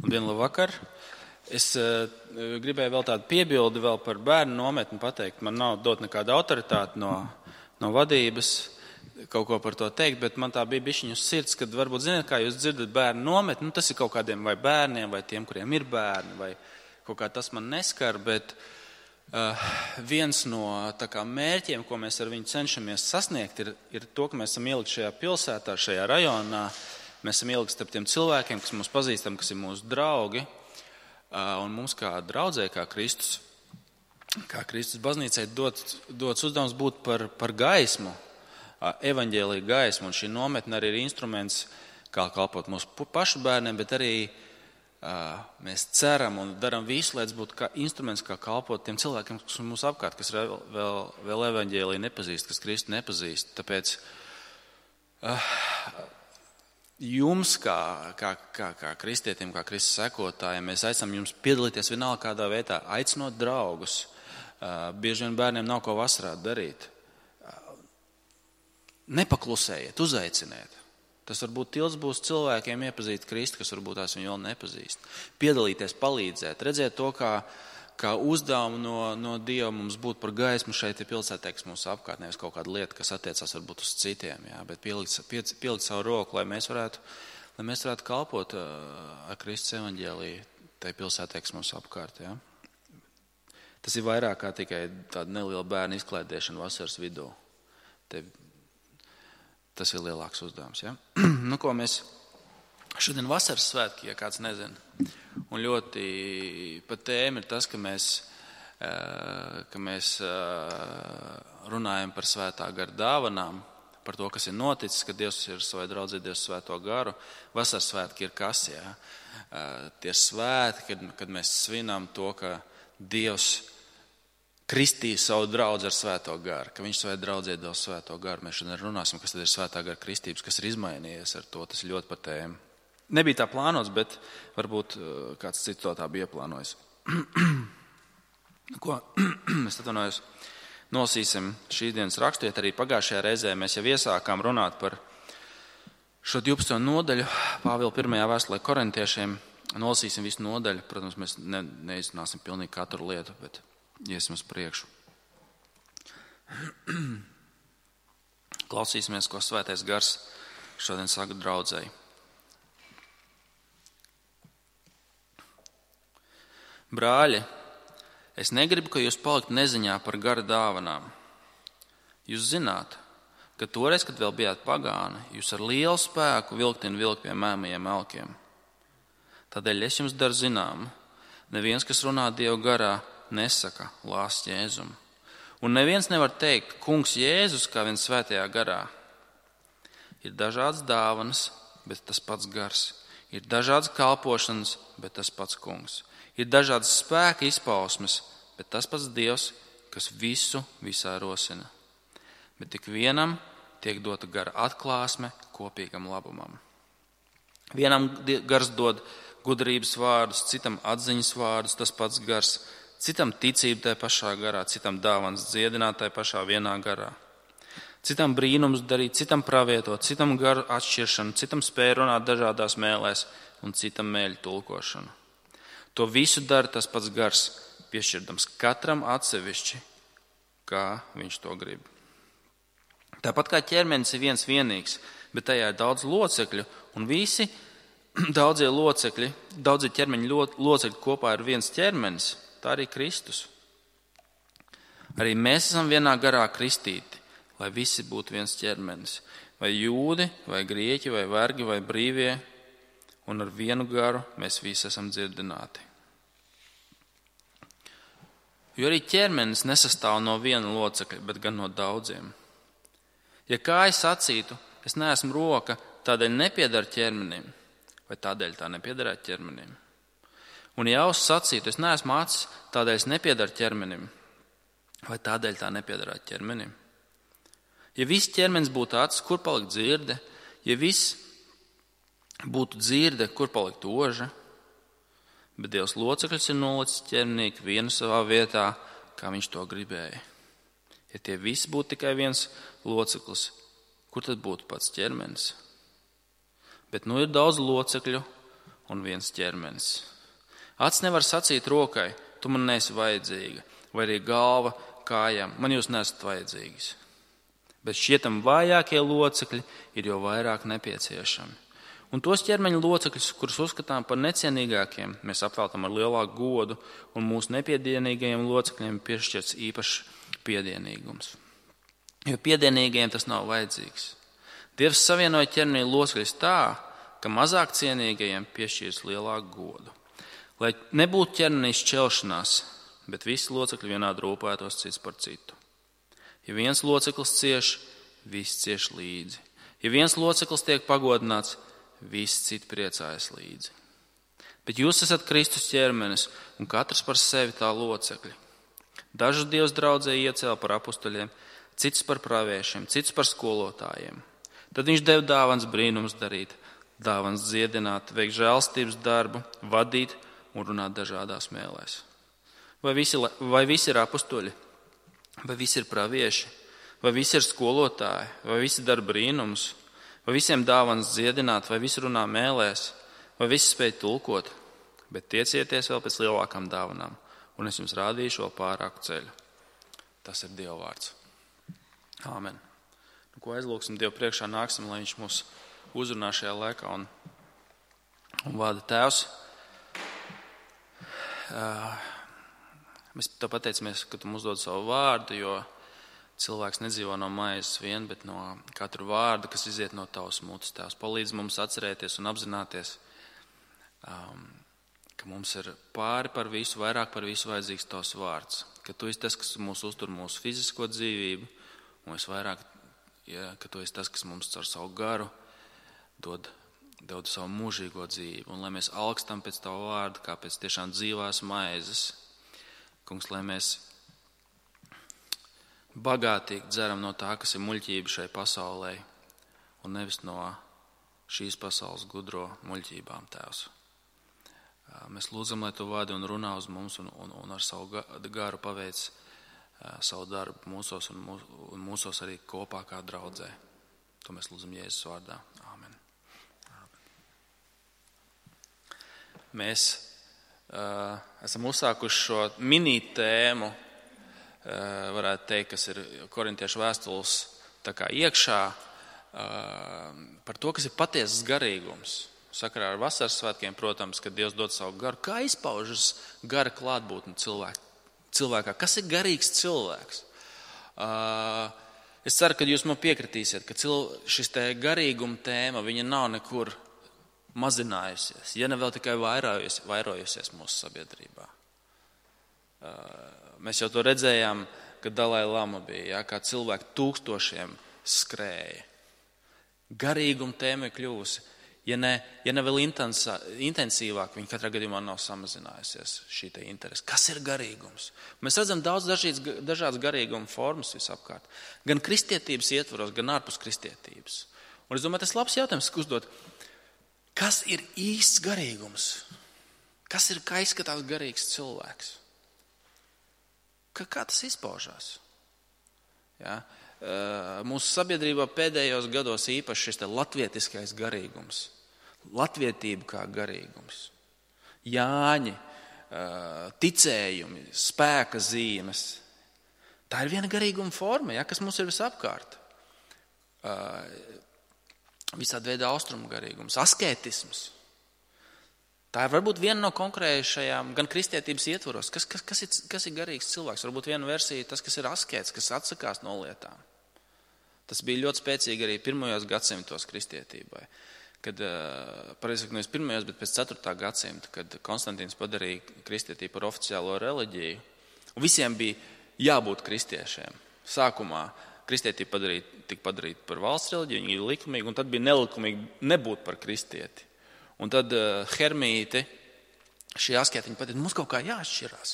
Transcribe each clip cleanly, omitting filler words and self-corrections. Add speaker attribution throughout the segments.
Speaker 1: Labdien, labvakar! Es gribēju vēl tādu piebildi vēl par bērnu nometni pateikt. Man nav dot nekāda autoritāte no vadības kaut ko par to teikt, bet man tā bija bišķiņ uz sirds, kad varbūt zināt, kā jūs dzirdat bērnu nometni, tas ir kaut kādiem vai bērniem, vai tiem, kuriem ir bērni, vai kaut kā tas man neskar, bet viens no tā kā mērķiem, ko mēs ar viņu cenšamies sasniegt, ir to, ka mēs esam ielikt šajā pilsētā, šajā rajonā, mēs esam ielikt starp tiem cilvēkiem, kas mūs pazīstam, kas ir mūsu draugi, un mums kā draudzē, kā Kristus baznīcai dots uzdevums būt par gaismu, evaņģēlija gaismu, un šī nometne arī ir instruments, kā kalpot mūsu pašu bērniem, bet arī mēs ceram un daram visu, lai tas būtu kā instruments, kā kalpot tiem cilvēkiem, kas ir mūsu apkārt, kas vēl evaņģēliju nepazīst, kas Kristu nepazīst. Tāpēc jums, kā kristietim, kā Kristus sekotājiem, mēs aicinām jums piedalīties vienalga kādā veidā, aicinot draugus. Bieži vien bērniem nav ko vasarā darīt. Nepaklusējiet, uzaiciniet. Tas varbūt tils būs cilvēkiem iepazīt Kristu, kas varbūt tās viņu vēl nepazīst. Piedalīties, palīdzēt, redzēt to, kā uzdevumu no Dieva mums būt par gaismu šeit ir pilsētā, kas mūsu apkārt, nevis kaut kāda lieta, kas attiecās varbūt uz citiem, jā, bet pielikt savu roku, lai mēs varētu kalpot ar Kristus evaņģēliju tai pilsētā, kas mūsu apkārt, jā. Tas ir vairāk kā tikai tāda neliela bērna izklaidēšana vasaras vidū. Tas ir lielāks uzdevums, ja? Nu, ko mēs šodien vasaras svētki, ja kāds nezina. Un ļoti pat tēma ir tas, ka mēs runājam par svētā gara dāvanām, par to, kas ir noticis, ka Dievs ir savai draudzē Dievs svēto garu. Vasaras svētki ir kas, ja? Tie svētki, kad mēs svinam to, ka Dievs kristīja savu draudzi ar svēto garu, ka viņš savai draudzē dos svēto garu. Mēs šodien runāsim, kas tad ir svētā gara kristības, kas ir izmainījies ar to, tas ir ļoti pa tēmu. Nebija tā plānots, bet varbūt kāds cits to tā bija ieplānojis. Ko? Es atvainojos, nolasīsim šīs dienas rakstiet. Arī pagājušajā reizē mēs jau iesākām runāt par šo 12. nodaļu Pāvila 1. vēstulē korintiešiem. Nolasīsim visu nodaļu. Protams, mēs neizrunāsim pilnīgi katru lietu, bet iesim uz priekšu. Klausīsimies, ko svētais gars šodien saka draudzei. Brāļi, es negribu, ka jūs paliktu neziņā par gara dāvanām. Jūs zināt, ka toreiz, kad vēl bijāt pagāni, jūs ar lielu spēku vilkt pie mēmajiem elkiem. Tādēļ es jums daru zinām, neviens, kas runā Dievu garā, nesaka lāst Jēzumu. Un neviens nevar teikt, kungs Jēzus, kā viens svētajā garā. Ir dažādas dāvanas, bet tas pats gars. Ir dažādas kalpošanas, bet tas pats kungs. Ir dažādas spēka izpausmes, bet tas pats Dievs, kas visu visā rosina. Bet tik vienam tiek dota gara atklāsme kopīgam labumam. Vienam gars dod gudrības vārdus, citam atziņas vārdus, tas pats gars. Citam ticība tajā pašā garā, citam dāvans dziedināt tajā pašā vienā garā. Citam brīnums darīt, citam pravietot, citam garu atšķiršanu, citam spēju runāt dažādās mēlēs un citam mēļu tulkošanu. To visu dara tas pats gars, piešķirdams katram atsevišķi, kā viņš to grib. Tāpat kā ķermenis ir viens vienīgs, bet tajā ir daudz locekļu, un visi daudzie ķermeņa locekļi kopā ir viens ķermenis. Tā arī Kristus. Arī mēs esam vienā garā kristīti, lai visi būtu viens ķermenis. Vai jūdi, vai grieķi, vai vergi, vai brīvie, un ar vienu garu mēs visi esam dziedināti. Jo arī ķermenis nesastāv no viena locekļa, bet gan no daudziem. Ja kāja sacītu, es neesmu roka, tādēļ nepiedara ķermenim, vai tādēļ tā nepiedarētu ķermenim. Un ja auss sacītu, es neesmu acis, tādēļ es nepiedaru ķermenim, vai tādēļ tā nepiedarētu ķermenim. Ja viss ķermenis būtu acis, kur palikt dzirde? Ja viss būtu dzirde, kur palikt oža? Bet Dievs locekļus ir nolicis ķermenī vienu savā vietā, kā viņš to gribēja. Ja tie visi būtu tikai viens loceklis, kur tad būtu pats ķermenis? Bet nu ir daudz locekļu, un viens ķermenis. Acis nevar sacīt rokai, tu man neesi vajadzīga, vai arī galva kājām, man jūs nesat vajadzīgas. Bet šķietam vājākie locekļi ir jau vairāk nepieciešami. Un tos ķermeņa locekļus, kurus uzskatām par necienīgākiem, mēs apveltam ar lielāku godu, un mūsu nepiedienīgajiem locekļiem piešķirts īpašs piedienīgums. Jo piedienīgajiem tas nav vajadzīgs. Dievs savienoja ķermeņa locekļus tā, ka mazāk cienīgajiem piešķirs lielāku godu. Lai nebūtu ķermenī šķelšanās, bet visi locekļi vienādi rūpētos cits par citu. Ja viens loceklis cieš, visi cieš līdzi. Ja viens loceklis tiek pagodināts, visi citi priecājas līdzi. Bet jūs esat Kristus ķermenis un katrs par sevi tā locekļi. Dažus Dievs draudzē iecēla par apustuļiem, citus par praviešiem, citus par skolotājiem. Tad viņš deva dāvans brīnums darīt, dāvans dziedināt, veikt žēlstības darbu, vadīt un runāt dažādās mēlēs. Vai visi ir apustuļi? Vai visi ir pravieši? Vai visi ir skolotāji? Vai visi dara brīnumus? Vai visiem dāvans dziedināt? Vai visi runā mēlēs? Vai visi spēj tulkot? Bet tiecieties vēl pēc lielākām dāvanām, un es jums rādīšu vēl pārāku ceļu. Tas ir Dieva vārds. Āmen. Nu, ko aizlūksim Dievu priekšā, nāksim, lai viņš mūs uzrunā šajā laikā un vada. Tēvs. Mēs tev pateicamies, ka tu mums dod savu vārdu, jo cilvēks nedzīvo no maizes vien, bet no katru vārdu, kas iziet no tavas mutes. Tēvs, palīdz mums atcerēties un apzināties, ka mums ir pāri par visu, vairāk par visu vajadzīgs tavs vārds. Ka tu esi tas, kas mūs uztur mūsu fizisko dzīvību, un vairāk, ka tu esi tas, kas mums caur savu garu dod savu mūžīgo dzīvi. Un lai mēs alkstam pēc tavu vārdu, kā pēc tiešām dzīvās maizes, Kungs, lai mēs bagātīgi dzeram no tā, kas ir muļķība šai pasaulē, un nevis no šīs pasaules gudro muļķībām, Tēvs. Mēs lūdzam, lai tu vadi un runā uz mums un ar savu garu paveic savu darbu mūsos un mūsos arī kopā kā draudzē. To mēs lūdzam Jēzus vārdā. Āmen. Mēs esam uzsākuši šo mini tēmu, varētu teikt, kas ir korintiešu vēstules tā kā iekšā, par to, kas ir patiesas garīgums. Sakarā ar vasaras svētkiem, protams, kad Dievs dod savu garu, kā izpaužas gara klātbūtne cilvēkā. Kas ir garīgs cilvēks? Es ceru, ka jūs man piekritīsiet, ka šis te garīguma tēma, viņa nav nekur mazinājusies, ja ne vēl tikai vairojusies mūsu sabiedrībā. Mēs jau to redzējām, kad Dalai Lama bija, kā cilvēki tūkstošiem skrēja. Garīguma tēma ir kļuvusi, ja ne vēl intensīvāk, viņa katrā gadījumā nav samazinājusies šī te interese. Kas ir garīgums? Mēs redzam daudz dažādas garīguma formas visapkārt, gan kristietības ietvaros, gan ārpus kristietības. Un es domāju, tas labs jautājums, ka uzdot, kas ir īsts garīgums? Kā izskatās garīgs cilvēks? Kā tas izpaužās? Ja? Mūsu sabiedrībā pēdējos gados īpaši šis latvietiskais garīgums. Latvietība kā garīgums. Jāņi, ticējumi, spēka zīmes. Tā ir viena garīguma forma, ja, kas mums ir visapkārt. Visādi veidi austrumu garīgums, asketisms. Tā ir varbūt viena no konkrēšajām gan kristietības ietvaros. Kas ir garīgs cilvēks? Varbūt viena versija tas, kas ir askēts, kas atsakās no lietām. Tas bija ļoti spēcīgi arī pirmajos gadsimtos kristietībai. Kad, pareizi sakot, nevis pirmajos, bet pēc 4. gadsimta, kad Konstantīns padarīja kristietību par oficiālo reliģiju. Un visiem bija jābūt kristiešiem. Sākumā kristietība tika padarīta par valsts reliģiju, viņa ir likumīga, un tad bija nelikumīgi nebūt par kristieti. Un tad Hermīti, šī askētiņa pateica, mums kaut kā jāatšķirās.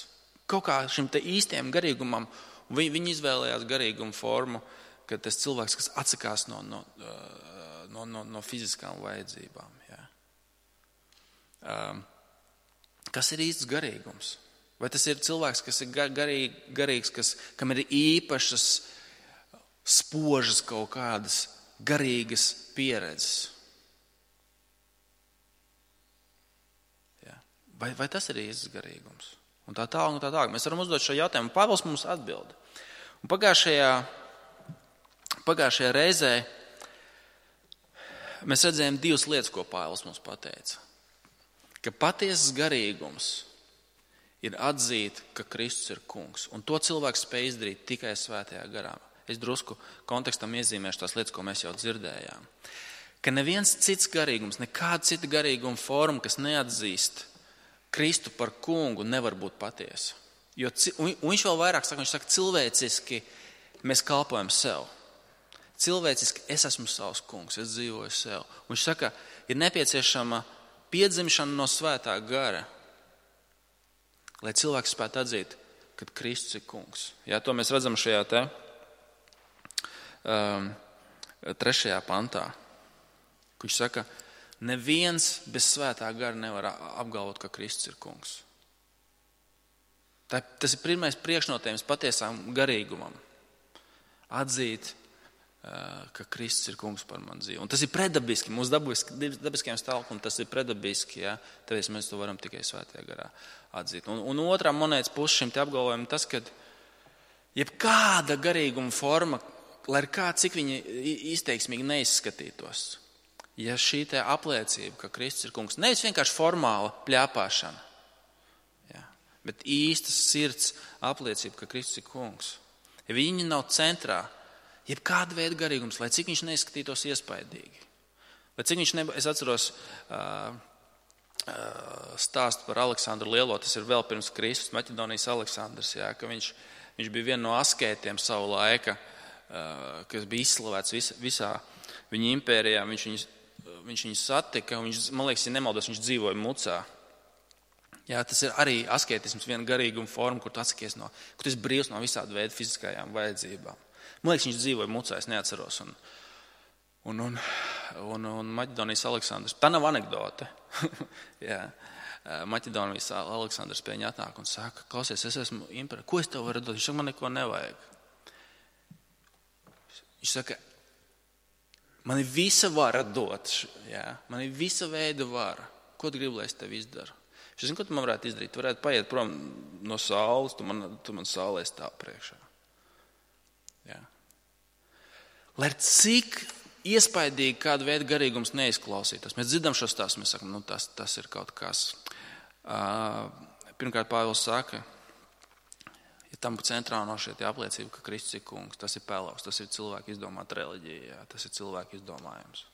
Speaker 1: Kaut kā šim te īstiem garīgumam, un viņi izvēlējās garīgumu formu, ka tas cilvēks, kas atsakās no fiziskām vajadzībām. Ja. Kas ir īsts garīgums? Vai tas ir cilvēks, kas ir garīgs, kam ir īpašas, spožas kaut kādas garīgas pieredzes? Vai tas ir īsts garīgums? Un tā tālāk, un tā tālāk. Mēs varam uzdot šo jautājumu. Pāvils mums atbild. Un pagājušajā reizē mēs redzējām divas lietas, ko Pāvils mums pateica. Ka patiesas garīgums ir atzīt, ka Kristus ir kungs. Un to cilvēks spēj izdarīt tikai svētajā garā. Es drusku kontekstam iezīmēšu tās lietas, ko mēs jau dzirdējām. Ka neviens cits garīgums, nekāda cita garīguma forma, kas neatzīst Kristu par kungu, nevar būt patiesa. Un viņš vēl vairāk saka, viņš saka, cilvēciski mēs kalpojam sev. Cilvēciski es esmu savs kungs, es dzīvoju sev. Un viņš saka, ir nepieciešama piedzimšana no svētā gara, lai cilvēks spētu atzīt, ka Kristus ir kungs. Jā, to mēs redzam šajā 3. pantā. Viņš saka, neviens bez svētā gara nevar apgalvot, ka Kristus ir kungs. Tas ir pirmais priekšnotējums patiesām garīgumam. Atzīt, ka Kristus ir kungs par mani dzīvi. Un tas ir predabiski, mūsu dabiskajam stāvoklim tas ir predabiski, ja? Tāpēc mēs to varam tikai svētajā garā atzīt. Un otrā monētas puse šim te apgalvojumam tas, ka jebkāda garīguma forma, lai ir kā cik viņa izteiksmīgi neizskatītos, ja šī te apliecība, ka Kristus ir kungs, nevis vienkārši formāla pļāpāšana, ja, bet īstas sirds apliecība, ka Kristus ir kungs. Ja viņi nav centrā, jebkāda veida garīgums, lai cik viņš neizskatītos iespaidīgi. Lai cik viņš es atceros stāstu par Aleksandru Lielo, tas ir vēl pirms Kristus, Maķedonijas Aleksandrs, jā, ka viņš bija viena no askētiem savu laika, kas bija izslavēts visā viņa impērijā. Viņš viņu satika, un man liekas, ja nemaldos, viņš dzīvoja Mucā. Jā, tas ir arī askētisms, viena garīguma forma, kur tu atsakies kur tu esi brīvs no visāda veida fiziskajām vajadzībām. Man liekas, viņš dzīvoja Mucā, es neatceros. Un Maķedonijas Aleksandrs, tā nav anekdote. Jā, Maķedonijas Aleksandrs pie viņa atnāk un saka, klausies, es esmu impērijā, ko es tev varu dot? Viņš saka, man neko nevajag. Viņš saka, man ir visa vara dot, jā, man ir visa veida vara. Ko tu gribi, lai es tev izdaru? Es zinu, ko tu man varētu izdarīt. Tu varētu paiet prom no saules, tu man saulē stāv priekšā. Jā. Lai cik iespaidīgi kādu veidu garīgums neizklausītos. Mēs dzirdam šo stāstu, mēs sakam, tas ir kaut kas. Pirmkārt, Pāvils saka, ja tam centrā no šeit apliecība, ka Kristus ir kungs, tas ir pelavs, tas ir cilvēku izdomāta reliģija, jā, tas ir cilvēku izdomājums.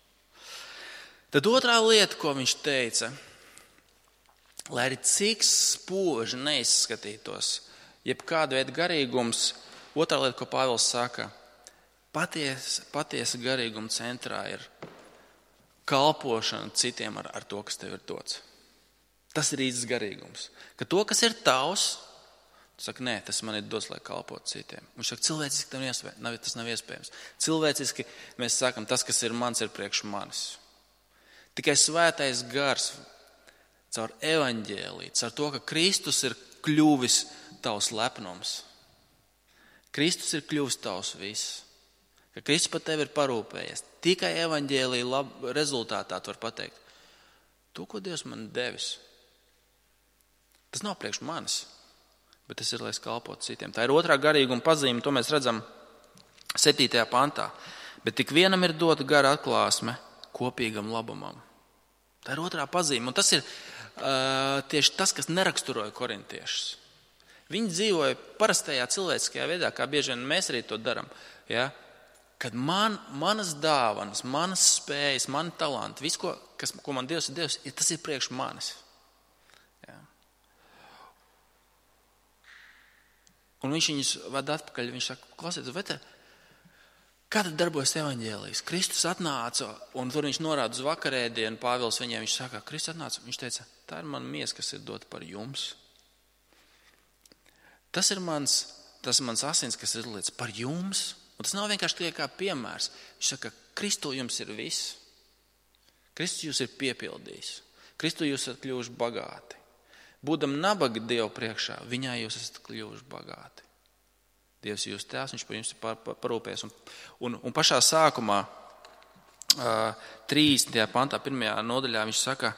Speaker 1: Tad otrā lieta, ko viņš teica, lai arī cik spoži neizskatītos, jebkāda veida garīgums, otrā lieta, ko Pāvils saka, patiesa garīguma centrā ir kalpošana citiem ar to, kas tev ir dots. Tas ir īsts garīgums. Ka to, kas ir tavs, tu saki, nē, tas man ir dots, lai kalpotu citiem. Viņš saka, cilvēciski tas nav iespējams. Cilvēciski mēs sakam, tas, kas ir mans, ir priekš manis. Tikai svētais gars caur evaņģēliju, caur to, ka Kristus ir kļuvis tavs lepnums. Kristus ir kļuvis tavs viss. Ka Kristus par tevi ir parūpējies. Tikai evaņģēlija rezultātā tu var pateikt, to, ko Dievs man devis, tas nav priekš manis, bet tas ir, lai es kalpotu citiem. Tā ir otrā garīguma pazīme, to mēs redzam 7. pantā. Bet tik vienam ir dota gara atklāsme kopīgam labumam. Tā ir otrā pazīme, un tas ir tieši tas, kas neraksturoja korintiešus. Viņi dzīvoja parastajā cilvēciskajā veidā, kā bieži vien mēs arī to daram. Ja? Kad manas dāvanas, manas spējas, mani talanti, viss, ko man Dievs ir devis, tas ir priekš manis. Ja? Un viņš viņus vada atpakaļ, viņš saka, klausieties, kā tad darbojas evaņģēlijs? Kristus atnāca, un tur viņš norāda uz vakarēdienu, Pāvils viņiem, viņš saka, Kristus atnāca, viņš teica, tā ir mana miesa, kas ir dota par jums. Tas ir mans asins, kas ir izlietas par jums. Un tas nav vienkārši tikai kā piemērs. Viņš saka, Kristu jums ir viss. Kristus jūs ir piepildījis. Kristu jūs esat kļuvuši bagāti. Būdam nabagi Dievu priekšā, viņā jūs esat kļuvuši bagāti. Dievs ir jūs tēvs, viņš par jums ir parūpējies. Un pašā sākumā, 30. pantā, 1. nodaļā, viņš saka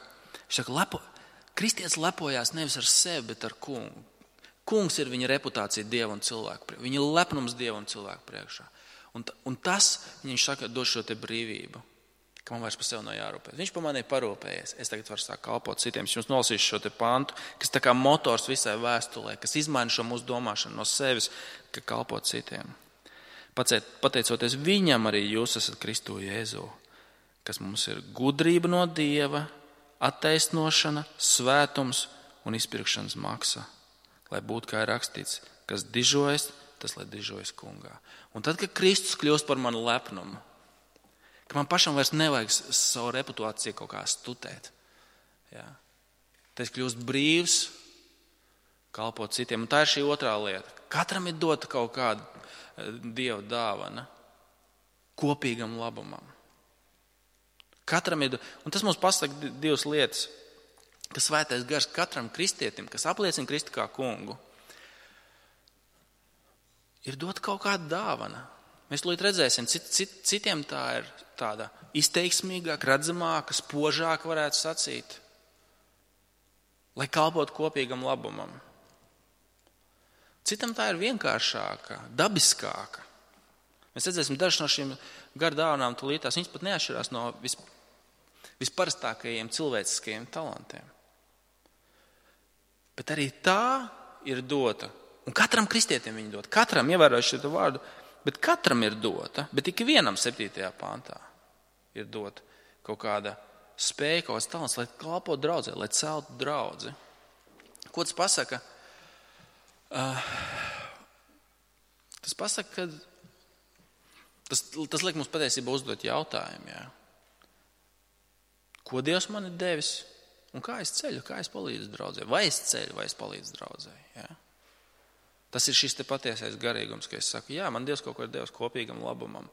Speaker 1: kristietis lepojās nevis ar sevi, bet ar kungu. Kungs ir viņa reputācija Dieva un cilvēku priekšā. Viņa lepnums Dieva un cilvēku priekšā. Un tas, viņš saka, dod šo te brīvību, ka man vairs par sevi nav jārūpēt. Viņš par mani parūpējies. Es tagad varu sākt kalpot citiem. Es jums nolasīšu šo te pantu, kas tā kā motors visai vēstulē, kas izmaina šo mūsu domāšanu no sevis, ka kalpot citiem. Pateicoties viņam arī jūs esat Kristu Jēzu, kas mums ir gudrība no Dieva, attaisnošana, svētums un izpirkšanas maksa. Lai būtu, kā ir rakstīts, kas dižojas, tas lai dižojas kungā. Un tad, kad Kristus kļūst par manu lepnumu, ka man pašam vairs nevajag savu reputāciju kaut kā stutēt. Ja? Tad es kļūst brīvs, kalpot citiem. Un tā ir šī otrā lieta. Katram ir dota kaut kāda Dieva dāvana kopīgam labumam. Katram ir, un tas mums pasaka divas lietas, ka svētais gars katram kristietim, kas apliecina Kristu kā kungu, ir dot kaut kāda dāvana. Mēs tūlīt redzēsim, citiem tā ir tāda izteiksmīgāka, redzamāka, spožāka varētu sacīt, lai kalpotu kopīgam labumam. Citam tā ir vienkāršāka, dabiskāka. Mēs redzēsim dažas no šīm gardāvanām tūlītās, viņas pat neatšķirās no visparastākajiem cilvēciskajiem talantiem. Bet arī tā ir dota. Un katram kristietim viņa dota. Katram, ievērojuši šo vārdu, bet katram ir dota. Bet tik vienam 7. pantā ir dota kaut kāda spēja, kaut kāds talants, lai kalpotu draudzē, lai celtu draudzi. Ko tas pasaka? Tas pasaka, ka tas liek mums patiesībā uzdot jautājumu. Jā. Ko Dievs man ir devis? Un kā es ceļu, kā es palīdzu draudzē? Vai es ceļu, vai es palīdzu draudzē? Jā. Tas ir šis te patiesais garīgums, ka es saku, jā, man Dievs kaut ko ir devis kopīgam labumam.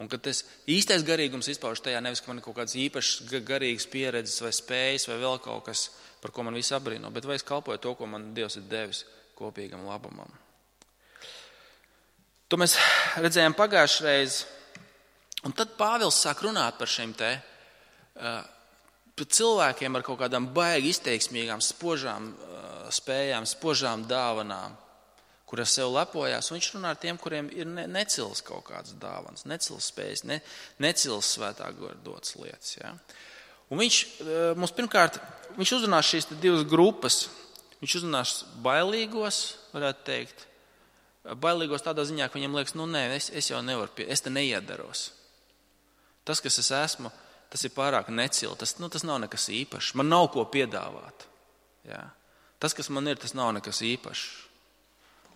Speaker 1: Un kad tas īstais garīgums izpauž tajā, nevis, ka man ir kaut kāds īpašs garīgs pieredzes vai spējas vai vēl kaut kas, par ko man visi abrīno, bet vai es kalpoju to, ko man Dievs ir devis kopīgam labumam. To mēs redzējām pagājušreiz. Un tad Pāvils sāk runāt par šiem te par cilvēkiem ar kaut kādām baigi izteiksmīgām, spožām spējām, spožām dāvanām, kuras sev lepojās. Un viņš runā ar tiem, kuriem ir necils kaut kādas dāvanas, necils spējas, necils svētā gara dotas lietas. Ja? Un viņš mums pirmkārt, viņš uzrunās šīs divas grupas. Viņš uzrunās bailīgos, varētu teikt. Bailīgos tādā ziņā, ka viņam liekas, es jau nevaru, es te neiedaros. Tas, kas es esmu, tas ir pārāk necili, tas nav nekas īpašs. Man nav ko piedāvāt. Jā. Tas, kas man ir, tas nav nekas īpašs.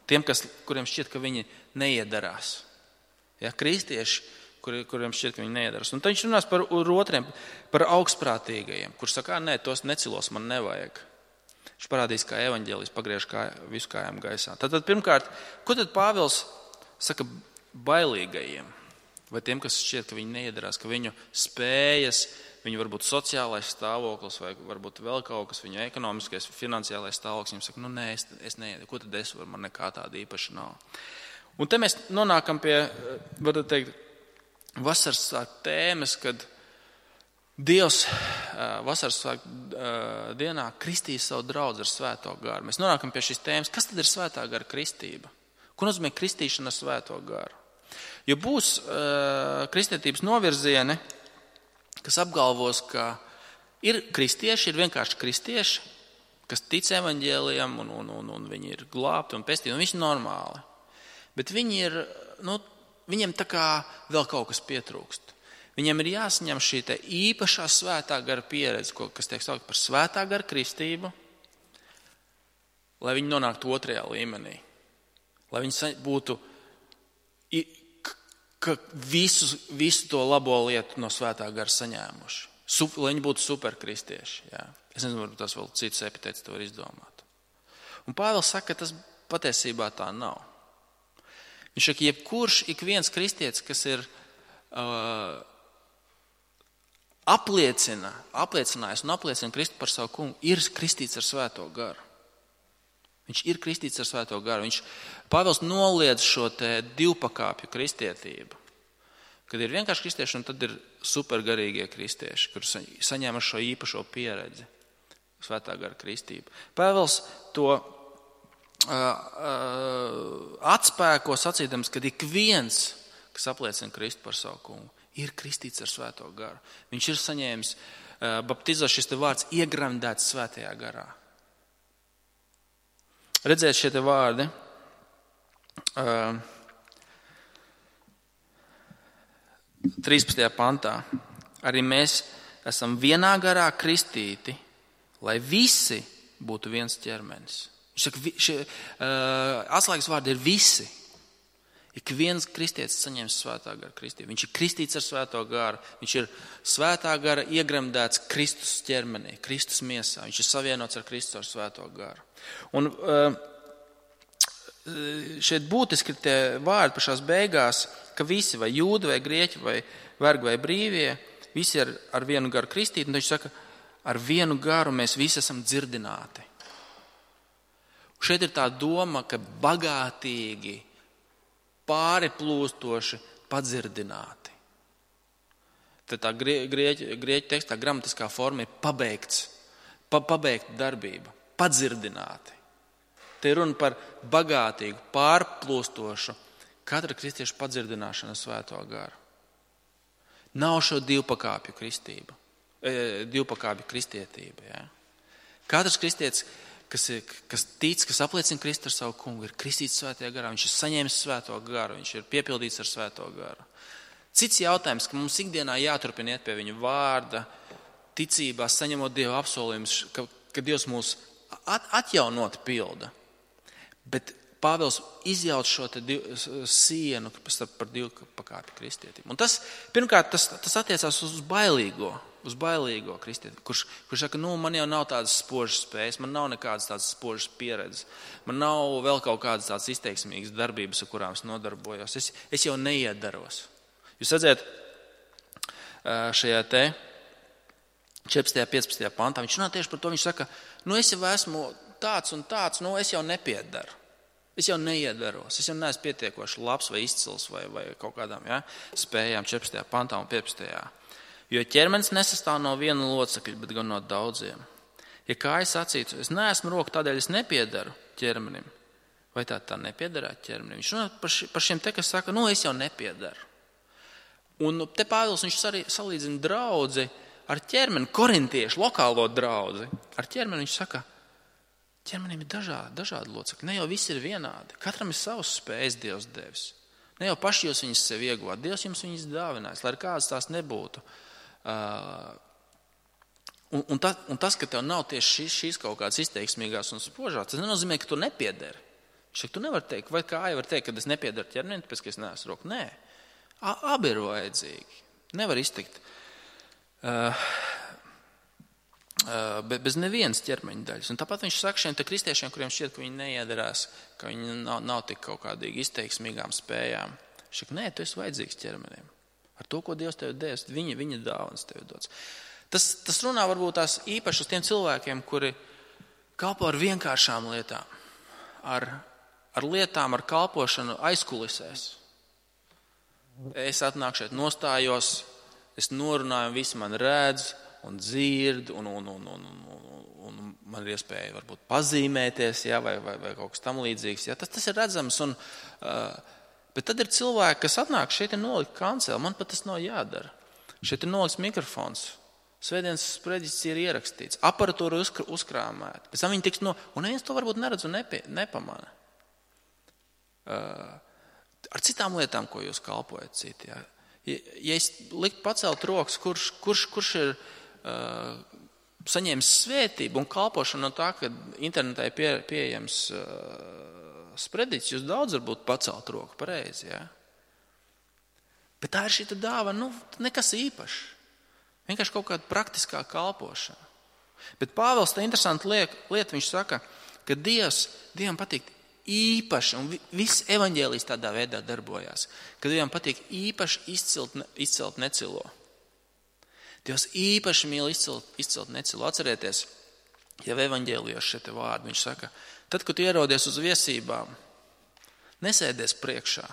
Speaker 1: Tiem, kuriem šķiet, ka viņi neiedarās. Jā, kristieši, kuriem šķiet, ka viņi neiedarās. Un tad viņš runās par otriem, par augstprātīgajiem, kurš saka, nē, tos necilos man nevajag. Viņš parādīs, kā evaņģēlijs pagriež visu kājām gaisā. Tātad pirmkārt, ko tad Pāvils saka bailīgajiem? Vai tiem, kas šķiet, ka viņi neiedarās, ka viņu spējas, viņu varbūt sociālais stāvoklis vai varbūt vēl kaut kas, viņu ekonomiskais, finansiālais stāvoklis, viņam saka, nē, es neiedaru, ko tad es varu, man nekā tāda īpaša nav. Un te mēs nonākam pie, varētu teikt, vasaras svētku tēmas, kad Dievs vasaras svētku dienā kristīs savu draudzi ar svēto garu. Mēs nonākam pie šīs tēmas, kas tad ir svētā gara kristība? Ko nozīmē kristīšana ar svēto garu? Jo būs kristietības novirzieni, kas apgalvos, ka ir kristieši, ir vienkārši kristieši, kas tic evaņģēlijam un viņi ir glābti un pestīti, un viņi ir normāli. Bet viņi ir, viņiem tā kā vēl kaut kas pietrūkst. Viņiem ir jāsaņem šī te īpašā svētā gara pieredze, kas tiek saukt par svētā gara kristību, lai viņi nonāktu otrajā līmenī. Lai viņi būtu visu to labo lietu no svētā gara saņēmuši. Lai viņi būtu superkristieši. Jā. Es nezinu, varbūt tas vēl cits epitēts to var izdomāt. Un Pāvils saka, ka tas patiesībā tā nav. Viņš saka, ik viens kristietis, kas ir apliecinājis un apliecina Kristu par savu kungu, ir kristīts ar svēto garu. Viņš ir kristīts ar svēto garu. Pāvils noliedz šo te divpakāpju kristietību. Kad ir vienkārši kristieši un tad ir supergarīgie kristieši, kur saņēma šo īpašo pieredzi. Svētā gara kristība. Pāvils to atspēko sacīdams, ka ik viens, kas apliecina Kristu par savu kungu, ir kristīts ar Svēto garu. Viņš ir saņēmis baptizā šis te vārds iegremdēts Svētajā garā. Redzēt šie te vārdi. 13. pantā. Arī mēs esam vienā garā kristīti, lai visi būtu viens ķermenis. Viņš saka, atslēgas vārdi ir visi. Ik viens kristietis saņems Svētā gara kristību. Viņš ir kristīts ar Svēto garu. Viņš ir Svētā gara iegremdēts Kristus ķermenī, Kristus miesā. Viņš ir savienots ar Kristu ar Svēto garu. Un šeit būtiski ir tie vārdi pašās beigās, ka visi, vai jūdi, vai grieķi, vai vergi, vai brīvie, visi ir ar vienu garu kristīti. Un viņš saka, ar vienu garu mēs visi esam dzirdināti. Šeit ir tā doma, ka bagātīgi, pāriplūstoši padzirdināti. Tad tā grieķu tekstā gramatiskā forma ir pabeigts, pabeigta darbība, padzirdināti. Te ir runa par bagātīgu, pārplūstošu katra kristieša padzirdināšanu Svēto garu. Nav šo divpakāpju kristība, divpakāpju kristietība. Ja? Katrs kristietis, kas tic, kas apliecina Kristu ar savu kungu, ir kristīts Svētajā garā, viņš ir saņēmis Svēto garu, viņš ir piepildīts ar Svēto garu. Cits jautājums, ka mums ikdienā jāturpina iet pie viņa vārda, ticībā, saņemot Dieva apsolījumus, ka Dievs mūs atjaunot pilda. Bet Pāvils izjauc šo te sienu par divpakāpju kristietību. Un tas, pirmkārt, tas attiecās uz bailīgo kristieti, kurš saka, man jau nav tādas spožas spējas, man nav nekādas tādas spožas pieredzes, man nav vēl kaut kādas tādas izteiksmīgas darbības, ar kurām es nodarbojos. Es jau neiedaros. Jūs redzēt, šajā te 14. 15. pantā, viņš runā tieši par to, viņš saka, es jau esmu tāds un tāds, es jau nepiedaru. Es jau neiedaros, es jau neesmu pietiekoši labs vai izcils vai kaut kādām spējām 14. pantā un 15. Jo ķermenis nesastāv no viena locekļa, bet gan no daudziem. Ja kājas sacītu, es neesmu roka, tādēļ es nepiedaru ķermenim. Vai tā nepiedarētu ķermenim? Viņš runā par šiem te, kas saka, es jau nepiedaru. Un te Pāvils viņš arī salīdzina draudzi ar ķermeni, korintiešu lokālo draudzi. Ar ķermeni viņš saka, ķermenim ir dažādi locekļi. Ne jau visi ir vienādi. Katram ir savas spējas Dievs devis. Ne jau paši jūs viņas sev ieguvāt. Dievs jums viņas dāvinājis, lai kādas tās nebūtu. Un tas, ka tev nav tieši šīs kaut kādas izteiksmīgās un spožās, tas nenozīmē, ka tu nepiederi. Tu nevari teikt, vai kāja var teikt, ka es nepiedaru ķermeni, tāpēc, ka es neesmu roka. Nē, abi ir vajadzīgi. Nevar iztikt bez nevienas ķermeņa daļas. Un tāpat viņš saka šiem te kristiešiem, kuriem šķiet, ka viņi neiedarās, ka viņi nav tik kaut kādīgi izteiksmīgām spējām. Viņš saka, nē, tu esi vajadzīgs ķermenim. Ar to, ko Dievs tev devis, viņa dāvanas tev dots. Tas runā varbūt tās īpaši uz tiem cilvēkiem, kuri kalpo ar vienkāršām lietām, ar lietām, ar kalpošanu aizkulisēs. Es atnāku šeit, nostājos, es norunāju, visi man redz un dzird, un man ir iespēja varbūt pazīmēties, vai kaut kas tam līdzīgs. Tas ir redzams, bet tad ir cilvēki, kas atnāk, šeit ir nolikt kanceli, man pat tas nav jādara. Šeit ir nolikts mikrofons, svētdienas sprediķis ir ierakstīts, aparatūra uzkrāmēta, pēc tam viņi tiks un neviens to varbūt neredz un nepamana. Ar citām lietām, ko jūs kalpojat citi. Ja es liktu pacelt rokas, kurš ir saņēmis svētību un kalpošanu no tā, ka internetā ir pieejams sprediķis, jūs daudz varbūt pacelt roku pareizi. Ja? Bet tā ir šī dāvana, nekas īpašs. Vienkārši kaut kāda praktiskā kalpošana. Bet Pāvils tā interesanta lieta, viņš saka, ka Dievam patīk īpaši, un viss evaņģēlijs tādā veidā darbojās, ka Dievam patīk īpaši izcelt necilo. Dievs īpaši mīl izcelt necilo. Atcerieties, jau evaņģēlijos šie vārdi, viņš saka, tad, kad tu ierodies uz viesībām, nesēdies priekšā,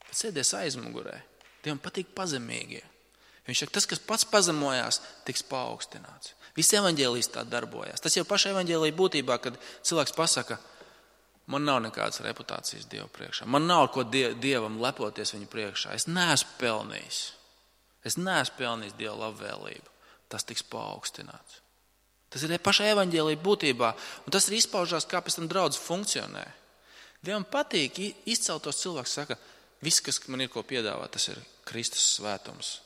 Speaker 1: bet sēdies aizmugurē. Dievam patīk pazemīgie. Viņš saka, tas, kas pats pazemojās, tiks paaugstināts. Visi evaņģēlijas tā darbojās. Tas jau paša evaņģēlija būtībā, kad cilvēks pasaka, man nav nekādas reputācijas Dievu priekšā. Man nav ko Dievam lepoties viņu priekšā. Es neesmu pelnījis. Es neesmu pelnījis Dieva labvēlību. Tas tiks paaugstināts. Tas ir paša evaņģēlija būtībā. Un tas ir izpaužās, kā pēc tam draudz funkcionē. Dievam patīk izceltos cilvēks saka, viss, kas man ir ko piedāvāt, tas ir Kristus svētums.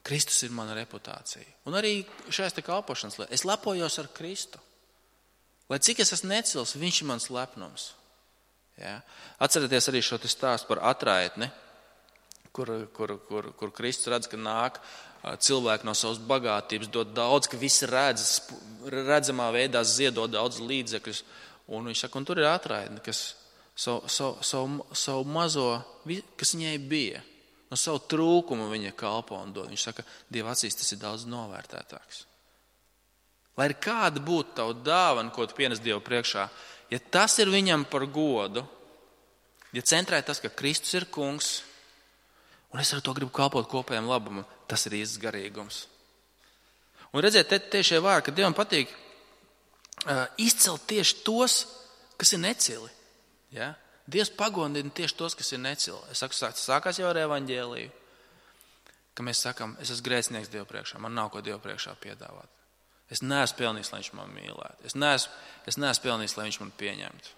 Speaker 1: Kristus ir mana reputācija. Un arī šajās te kalpošanas lietās. Es lepojos ar Kristu. Lai cik es esmu necils, viņš ir mans lepnums. Ja? Atcerieties arī šo stāstu par atraitni, kur Kristus redz, ka nāk cilvēki no savas bagātības, dod daudz, ka visi redz, redzamā veidā ziedot daudz līdzekļus. Un viņš saka, un tur ir atraitni, kas savu mazo, kas viņai bija, no savu trūkumu viņa kalpo un dod. Viņš saka, Dieva acīs tas ir daudz novērtētāks. Lai ir kāda būtu tavu dāvana, ko tu pienes Dievu priekšā, ja tas ir viņam par godu, ja centrē tas, ka Kristus ir kungs, un es ar to gribu kalpot kopējiem labumam, tas ir īsts garīgums. Un redziet, te šie vārdi, ka Dievam patīk izcelt tieši tos, kas ir necili. Ja? Dievs pagodina tieši tos, kas ir necili. Es saku, sākās jau ar evaņģēliju, ka mēs sakam, es esmu grēcinieks Dievu priekšā, man nav ko Dievu priekšā piedāvāt. Es neesmu pelnījis, lai viņš man mīlētu. Es neesmu pelnījis, lai viņš man pieņemtu.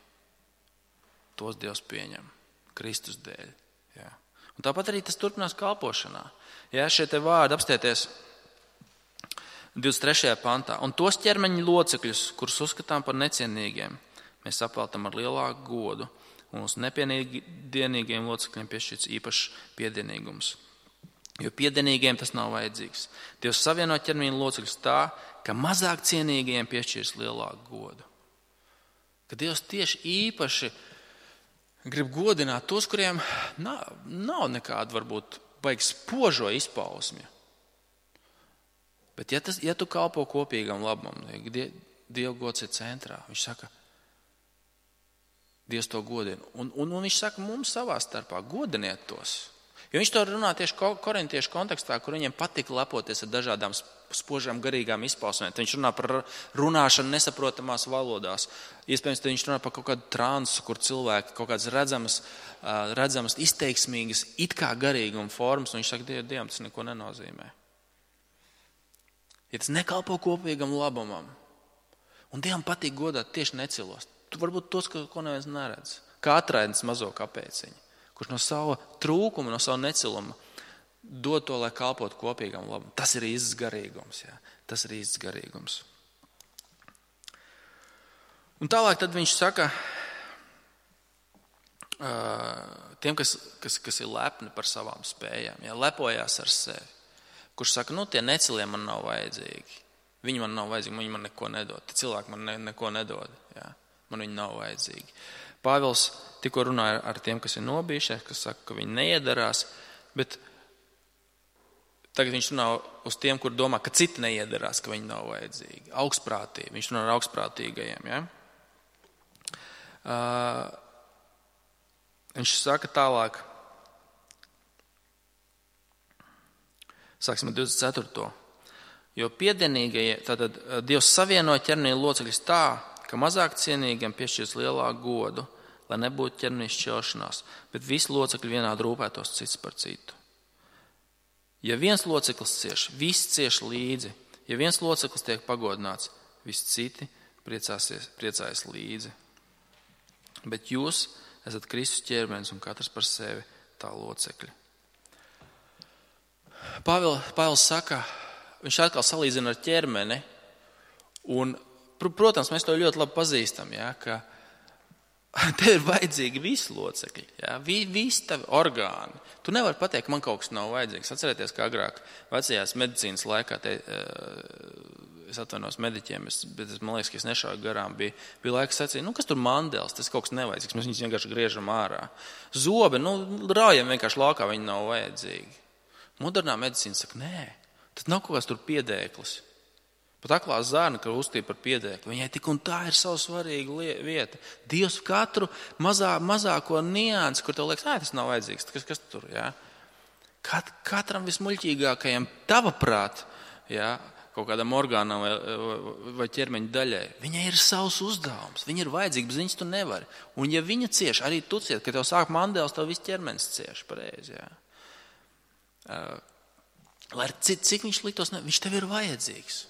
Speaker 1: Tos Dievs pieņem Kristus dēļ. Ja? Un tāpat arī tas turpinās kalpošanā. Ja, šie te vārdi apstieties 23. pantā. Un tos ķermeņa locekļus, kurus uzskatām par necienīgiem, mēs apveltam ar lielāku godu. Un uz nepiedienīgiem locekļiem piešķirts īpašs piedienīgums. Jo piedienīgiem tas nav vajadzīgs. Dievs savieno ķermeņa locekļus tā, ka mazāk cienīgiem piešķirs lielāku godu. Ka Dievs tieši īpaši grib godināt tos, kuriem nav nekāda varbūt baigi spožo izpausmi. Bet ja tu kalpo kopīgam labumam, Dieva gods ir centrā, viņš saka, Dievs to godina. Un viņš saka mums savā starpā, godiniet tos. Jo viņš to runā tieši korintiešu kontekstā, kur viņiem patika lepoties ar dažādām spožām garīgām izpausmēm. Viņš runā par runāšanu nesaprotamās valodās. Iespējams, viņš runā par kaut kādu transu, kur cilvēki kaut kādas redzamas izteiksmīgas, it kā garīguma formas, un viņš saka, Dievam tas neko nenozīmē. Ja tas nekalpo kopīgam labumam, un Dievam patīk godāt tieši necilos, tu varbūt tos, ko neviens neredz, kā atraidnis mazo kapēciņu, kurš no sava trūkuma, no sava neciluma dod to, lai kalpotu kopīgam labumam. Tas ir īsts garīgums. Jā. Tas ir īsts garīgums. Un tālāk tad viņš saka tiem, kas ir lepni par savām spējām, jā, lepojās ar sevi. Kurš saka, tie necilie man nav vajadzīgi. Viņi man nav vajadzīgi, viņi man neko nedod. Tie cilvēki man neko nedod. Jā. Man viņi nav vajadzīgi. Pāvils tikko runāja ar tiem, kas ir nobijušies, kas saka, ka viņi neiedarās, bet tagad viņš runā uz tiem, kur domā, ka citi neiedarās, ka viņi nav vajadzīgi. Augstprātīgi. Viņš runā ar augstprātīgajiem. Ja? Viņš saka tālāk, sāksim ar 24. Jo piedienīgajie, tātad Dievs savieno ķermeņa locekļus tā, ka mazāk cienīgiem piešķirs lielāku godu, lai nebūtu ķermeņa šķelšanās, bet visi locekļi vienādi rūpētos cits par citu. Ja viens loceklis cieš, visi cieš līdzi. Ja viens loceklis tiek pagodināts, visi citi priecājas līdzi. Bet jūs esat Kristus ķermenis un katrs par sevi tā locekļi. Pāvils saka, viņš atkal salīdzina ar ķermeni, un, protams, mēs to ļoti labi pazīstam, ja, ka tev ir vajadzīgi visi locekļi, ja, visi tavi orgāni. Tu nevari pateikt, ka man kaut kas nav vajadzīgs. Atcerieties, kā agrāk vecajās medicīnas laikā, es atvainos mediķiem, bet man liekas, ka es nešauju garām, bija laiks sacīt, kas tur mandels, tas kaut kas nevajadzīgs, mēs viņus vienkārši griežam ārā. Zobi, raujam vienkārši laukā, viņi nav vajadzīgi. Modernā medicīna saka, nē, tas nav kaut kāds tur piedēklis. Pat aklā zārna, ka uztīja par piedēkli, viņai tik un tā ir savu svarīgu vieta. Dievs katru mazāko niansi, kur tev liekas, tas nav vajadzīgs, kas tur, jā? Katram vismuļķīgākajam tava prāt, kaut kādam orgānam vai ķermeņa daļai, viņai ir savs uzdevums, viņa ir vajadzīga, bez viņas tu nevari. Un ja viņa cieš, arī tu cieš, kad tev sāk mandēls, tev viss ķermenis cieš, pareizi, Lai cik viņš liktos, viņš tev ir vajadzīgs.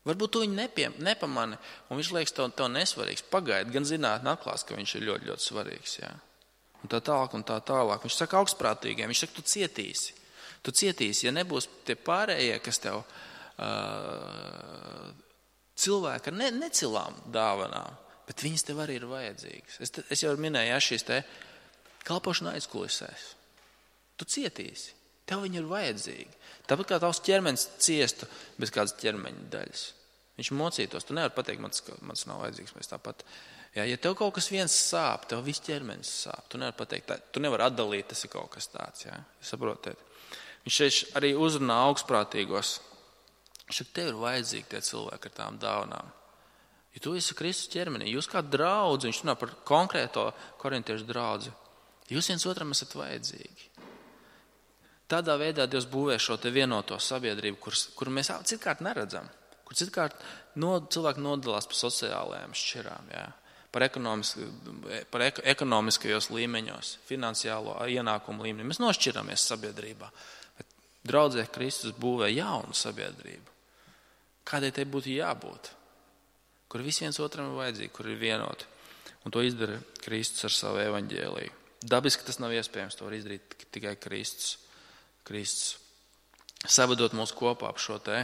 Speaker 1: Varbūt tu viņu nepamani, un viņš liekas tev nesvarīgs. Pagaidi, gan zinātne atklās, ka viņš ir ļoti, ļoti svarīgs, Un tā tālāk. Viņš saka augstprātīgiem, viņš saka, tu cietīsi. Tu cietīsi, ja nebūs tie pārējie, kas tev cilvēki ar necilām dāvanām, bet viņas tev arī ir vajadzīgas. Es jau minēju, šīs te kalpošana aizkulisēs. Tu cietīsi, tev viņi ir vajadzīgi. Tāpat kā tavs ķermenis ciestu bez kādas ķermeņa daļas. Viņš mocītos, tu nevari pateikt, mans nav vajadzīgs, mēs tāpat. Ja tev kaut kas viens sāp, tev viss ķermenis sāp. Tu nevari pateikt, tu nevari atdalīt, tas ir kaut kas tāds, Saprotiet? Viņš šeit arī uzrunā augstprātīgos. Viņš saka, tev ir vajadzīgi tie cilvēki ar tām dāvanām. Ja tu esi Kristus ķermenī, jūs kā draudzi, viņš runā par konkrēto korintiešu draudzi, jūs viens otram esat vajadzīgi. Tādā veidā Dievs būvē šo te vienoto sabiedrību, kuru mēs citkārt neredzam, kur citkārt cilvēki nodalās par sociālajām šķirām, par ekonomiskajos līmeņos, finansiālo ienākumu līmenī. Mēs nošķiramies sabiedrībā, bet draudzē Kristus būvē jaunu sabiedrību. Kādai tai būtu jābūt? Kur visi viens otram ir vajadzīgi, kur ir vienoti. Un to izdara Kristus ar savu evaņģēliju. Dabiski tas nav iespējams, to var izdarīt tikai Kristus. Savedot mūs kopā ap šo te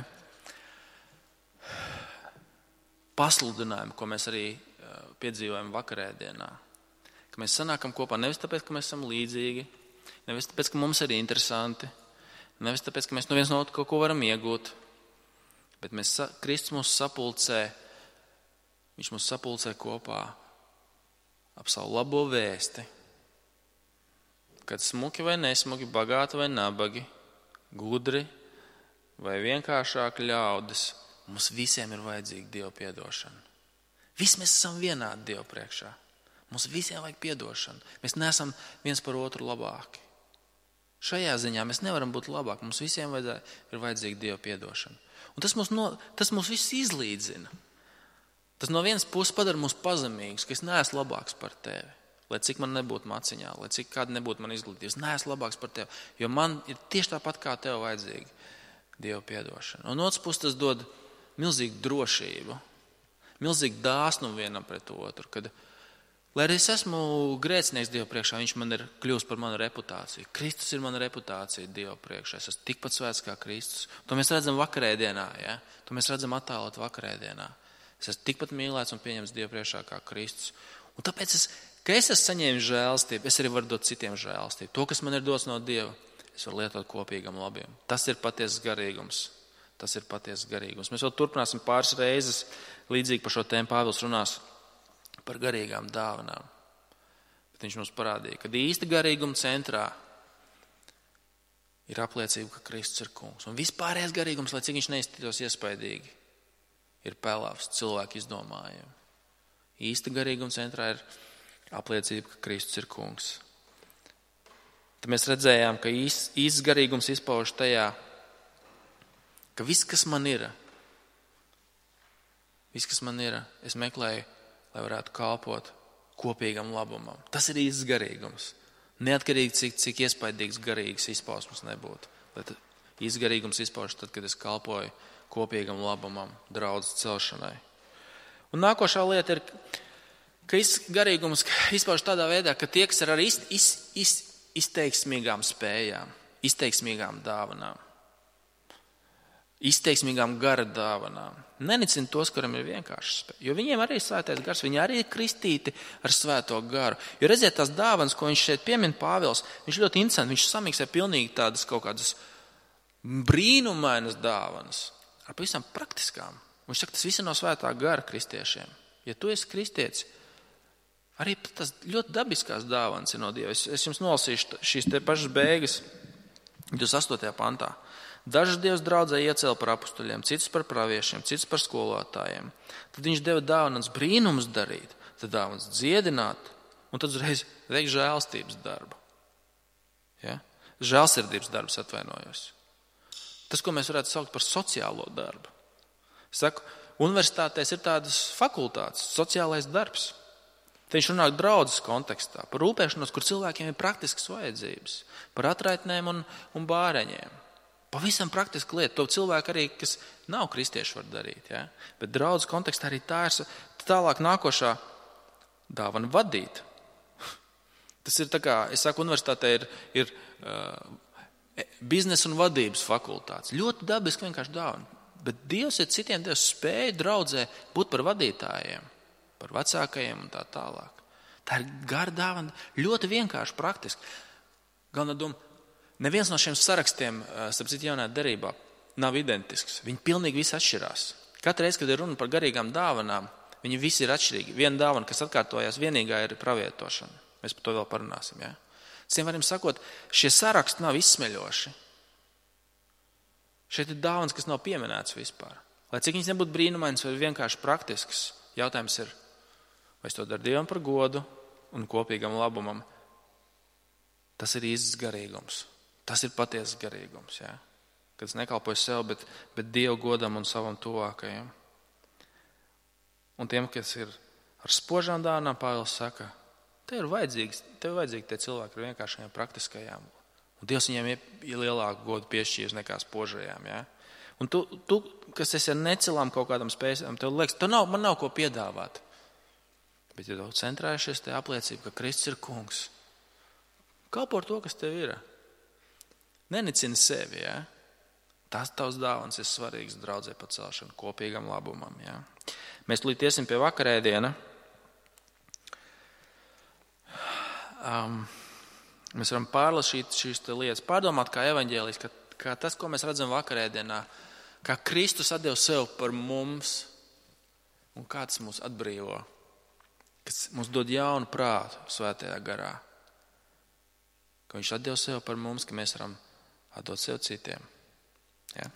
Speaker 1: pasludinājumu, ko mēs arī piedzīvojam vakarēdienā. Ka mēs sanākam kopā nevis tāpēc, ka mēs esam līdzīgi, nevis tāpēc, ka mums ir interesanti, nevis tāpēc, ka mēs no viens no otru kaut ko varam iegūt, bet Kristus mūs sapulcē, viņš mūs sapulcē kopā ap savu labo vēsti. Kad smuki vai nesmuki, bagāti vai nabagi, gudri vai vienkāršāki ļaudis, mums visiem ir vajadzīga Dieva piedošana. Visi mēs esam vienādi Dieva priekšā. Mums visiem vajag piedošanu. Mēs neesam viens par otru labāki. Šajā ziņā mēs nevaram būt labāki. Mums visiem ir vajadzīga Dieva piedošana. Un tas mūs visus izlīdzina. Tas no vienas puses padara mūs pazemīgus, ka es neesmu labāks par tevi. Lai cik man nebūtu maciņā, lai cik kāda nebūtu man izglītības, neesmu labāks par tevi, jo man ir tieši tāpat kā tev vajadzīga Dieva piedošana. Un otrs puses tas dod milzīgu drošību, milzīgu dāsnumu vienam pret otru, kad, lai arī es esmu grēcinieks Dieva priekšā, viņš man ir kļūst par manu reputāciju. Kristus ir mana reputācija Dieva priekšā, es esmu tikpat svēts kā Kristus. To mēs redzam vakarēdienā, To mēs redzam attēlot vakarēdienā. Es esmu tikpat mīlēts un pieņemts Dieva priekšā kā Kristus. Un tāpēc ka es esmu saņēmis žēlastību, es arī varu dot citiem žēlastību. To, kas man ir dots no Dieva, es varu lietot kopīgam labiem. Tas ir patiesas garīgums. Mēs vēl turpināsim pāris reizes līdzīgi par šo tēmu. Pāvils runās par garīgām dāvanām. Bet viņš mums parādīja, ka īsta garīguma centrā ir apliecība, ka Kristus ir kungs. Un vispārējais garīgums, lai cik viņš neizskatītos iespaidīgi, ir pelavs cilvēku izdomājumi. Īsta garīguma centrā ir apliecība, ka Kristus ir kungs. Tad mēs redzējām, ka īsts garīgums izpauž tajā, ka viss, kas man ir, es meklēju, lai varētu kalpot kopīgam labumam. Tas ir īsts garīgums. Neatkarīgi, cik iespaidīgs garīgs izpausmes nebūtu. Bet īsts garīgums izpauž tad, kad es kalpoju kopīgam labumam, draudzes celšanai. Un nākošā lieta ir, ka garīgums izpauž tādā veidā, ka tie, kas ir ar izteiksmīgām spējām, izteiksmīgām dāvanām, izteiksmīgām gara dāvanām, nenicina tos, kuriem ir vienkārši spēja. Jo viņiem arī ir svētais gars, viņi arī ir kristīti ar svēto garu. Jo redziet, tās dāvanas, ko viņš šeit piemin Pāvils, viņš ļoti interesanti, viņš samiksē pilnīgi tādas kaut kādas brīnumainas dāvanas ar pavisam praktiskām. Viņš saka, tas viss ir no svētā gara kristiešiem. Ja tu esi kristietis, arī tas ļoti dabiskās dāvanas ir no Dieva. Es jums nolasīšu šīs te pašas beigas 28. pantā. Dažus Dievs draudzē iecēla par apustuļiem, citus par praviešiem, citus par skolotājiem. Tad viņš deva dāvanas brīnumus darīt, tad dāvanas dziedināt, un tad uzreiz veikt žēlstības darbu. Ja? žēlsirdības darbs, atvainojos. Tas, ko mēs varētu saukt par sociālo darbu. Es saku, universitātēs ir tādas fakultātes, sociālais darbs. Te viņš runā draudzes kontekstā, par rūpēšanos, kur cilvēkiem ir praktiskas vajadzības, par atraitnēm un bāreņiem. Pavisam praktiska lieta. To cilvēku arī, kas nav kristieši, var darīt. Ja? Bet draudzes kontekstā arī tā ir tālāk nākošā dāvana vadīt. Tas ir tā kā, es saku, universitātē ir biznesa un vadības fakultātes. Ļoti dabiski vienkārši dāvana. Bet Dievs ir citiem Dievs spēja draudzē būt par vadītājiem, par vecākajiem un tā tālāk. Tā ir gara dāvana, ļoti vienkārši praktiski. Galvenā doma, neviens no šiem sarakstiem, starp citu jaunajā derībā, nav identisks. Viņi pilnīgi visi atšķirās. Katru reizi, kad ir runa par garīgām dāvanām, viņi visi ir atšķirīgi. Viena dāvana, kas atkārtojās, vienīgā ir pravietošana. Mēs par to vēl parunāsim. Ja? Citiem varam sakot, šie saraksti nav izsmeļoši. Šeit ir dāvanas, kas nav pieminētas vispār. Lai cik viņas nebūtu brīnumainas vai vienkārši praktisks, jautājums ir, vai es to daru Dievam par godu un kopīgam labumam. Tas ir īsts garīgums. Tas ir patiesas garīgums. Ja? Kad es nekalpoju sev, bet Dievu godam un savam tuvākajam. Un tiem, kas ir ar spožām dāvanām, Pāvils saka, tev ir vajadzīgi tie cilvēki ar vienkāršajām praktiskajām. Un Dievs viņiem ir lielāku godu piešķīris nekā spožajām. Ja? Un tu, kas esi ar necelām kaut kādam spējas, tev liekas, man nav ko piedāvāt. Bet ja tu centrējušies, te apliecība, ka Kristus ir kungs. Kalpo ar to, kas tev ir. Nenicini sevi. Ja? Tas tavs dāvans ir svarīgs draudzē pacelšana, kopīgam labumam. Ja? Mēs līdz iesim pie vakarēdiena. Mēs varam pārlasīt šīs lietas, pārdomāt kā evaņģēlijs, kā tas, ko mēs redzam vakarēdienā, kā Kristus atdeva sev par mums un kā tas mūs atbrīvo, kas mums dod jaunu prātu svētajā garā, ka viņš atdeva sev par mums, ka mēs varam atdot sev citiem. Ja?